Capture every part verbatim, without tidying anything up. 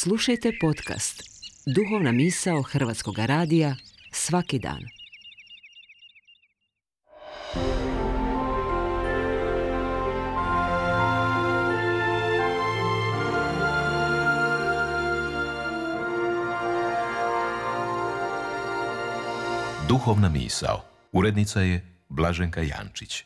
Slušajte podcast Duhovna misao Hrvatskog radija svaki dan. Duhovna misao. Urednica je Blaženka Jančić.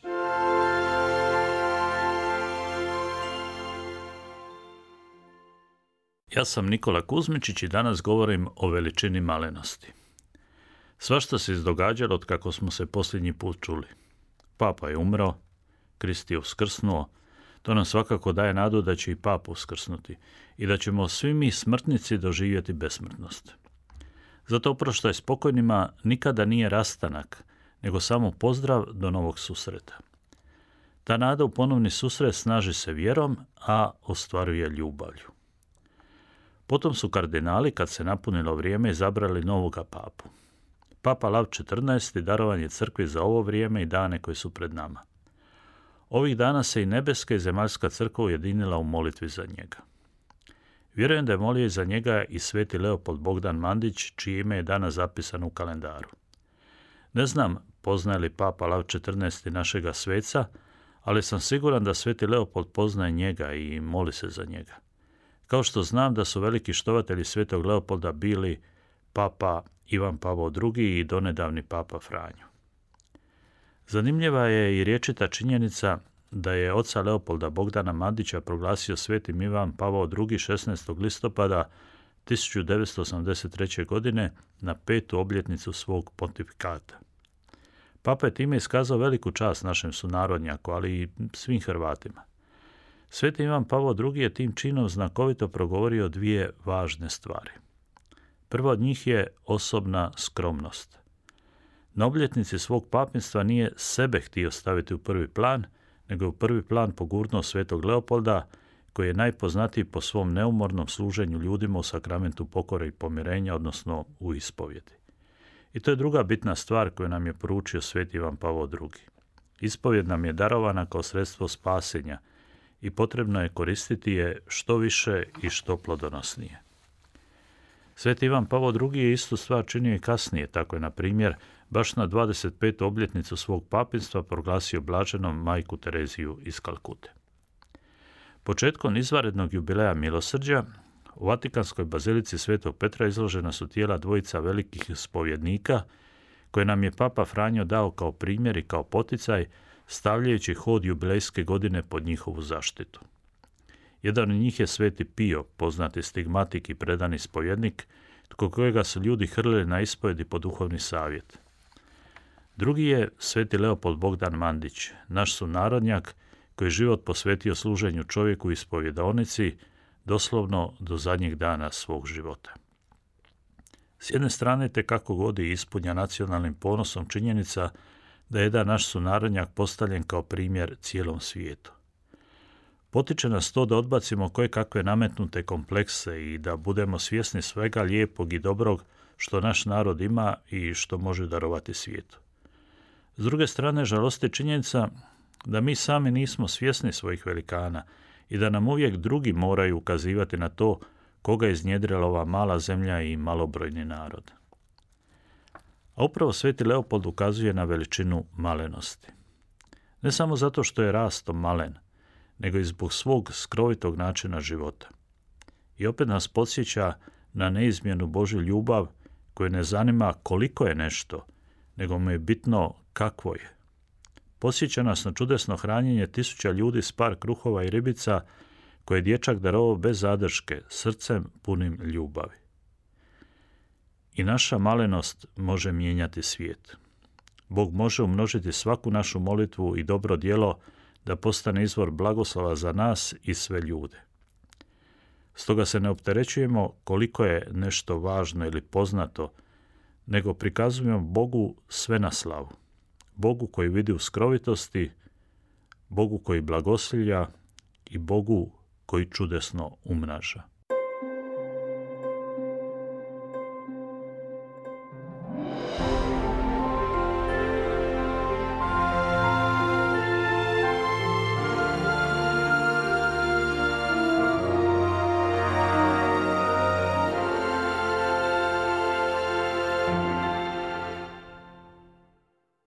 Ja sam Nikola Kuzmičić i danas govorim o veličini malenosti. Svašta se izdogađalo od kako smo se posljednji put čuli. Papa je umro, Krist je uskrsnuo, to nam svakako daje nadu da će i Papa uskrsnuti i da ćemo svi mi smrtnici doživjeti besmrtnost. Zato oproštaj spokojnima nikada nije rastanak, nego samo pozdrav do novog susreta. Ta nada u ponovni susret snaži se vjerom, a ostvaruje ljubavlju. Potom su kardinali, kad se napunilo vrijeme, izabrali novoga papu. Papa Lav četrnaesti darovan je crkvi za ovo vrijeme i dane koji su pred nama. Ovih dana se i nebeska i zemaljska crkva ujedinila u molitvi za njega. Vjerujem da je molio i za njega i sveti Leopold Bogdan Mandić, čije ime je danas zapisano u kalendaru. Ne znam poznaje li Papa Lav četrnaesti našega sveca, ali sam siguran da sveti Leopold poznaje njega i moli se za njega. Kao što znam da su veliki štovatelji svetog Leopolda bili Papa Ivan Pavao drugi i donedavni Papa Franjo. Zanimljiva je i rječita činjenica da je oca Leopolda Bogdana Mandića proglasio svetim Ivan Pavao drugi šesnaestog listopada tisuću devetsto osamdeset treće. godine na petu obljetnicu svog pontifikata. Papa je time iskazao veliku čast našem sunarodnjaku, ali i svim Hrvatima. Sveti Ivan Pavao drugi je tim činom znakovito progovorio dvije važne stvari. Prva od njih je osobna skromnost. Na obljetnici svog papinstva nije sebe htio staviti u prvi plan, nego je u prvi plan pogurnuo svetog Leopolda, koji je najpoznatiji po svom neumornom služenju ljudima u sakramentu pokore i pomirenja, odnosno u ispovjedi. I to je druga bitna stvar koju nam je poručio sveti Ivan Pavao drugi. Ispovjed nam je darovana kao sredstvo spasenja i potrebno je koristiti je što više i što plodonosnije. Sveti Ivan Pavao drugi je istu stvar činio i kasnije, tako je, na primjer, baš na dvadeset petu obljetnicu svog papinstva proglasio blaženom majku Tereziju iz Kalkute. Početkom izvanrednog jubileja milosrđa u Vatikanskoj bazilici Svetog Petra izložena su tijela dvojica velikih spovjednika koje nam je Papa Franjo dao kao primjer i kao poticaj, stavljajući hod jubilejske godine pod njihovu zaštitu. Jedan od njih je sveti Pio, poznati stigmatik i predani spovjednik, tko kojega su ljudi hrlili na ispovjedi po duhovni savjet. Drugi je sveti Leopold Bogdan Mandić, naš sunarodnjak koji je život posvetio služenju čovjeku u ispovjedaonici, doslovno do zadnjeg dana svog života. S jedne strane te kako god je ispunja nacionalnim ponosom činjenica da je jedan naš sunarodnjak postavljen kao primjer cijelom svijetu. Potiče nas to da odbacimo koje kakve nametnute komplekse i da budemo svjesni svega lijepog i dobrog što naš narod ima i što može darovati svijetu. S druge strane, žalosti činjenica da mi sami nismo svjesni svojih velikana i da nam uvijek drugi moraju ukazivati na to koga je iznjedrila ova mala zemlja i malobrojni narod. A upravo sveti Leopold ukazuje na veličinu malenosti. Ne samo zato što je rastom malen, nego i zbog svog skrovitog načina života. I opet nas podsjeća na neizmjernu Božju ljubav koju ne zanima koliko je nešto, nego mu je bitno kakvo je. Podsjeća nas na čudesno hranjenje tisuća ljudi s par kruhova i ribica koje je dječak darovao bez zadrške, srcem punim ljubavi. I naša malenost može mijenjati svijet. Bog može umnožiti svaku našu molitvu i dobro djelo da postane izvor blagoslova za nas i sve ljude. Stoga se ne opterećujemo koliko je nešto važno ili poznato, nego prikazujemo Bogu sve na slavu. Bogu koji vidi u skrovitosti, Bogu koji blagoslivlja i Bogu koji čudesno umnaža.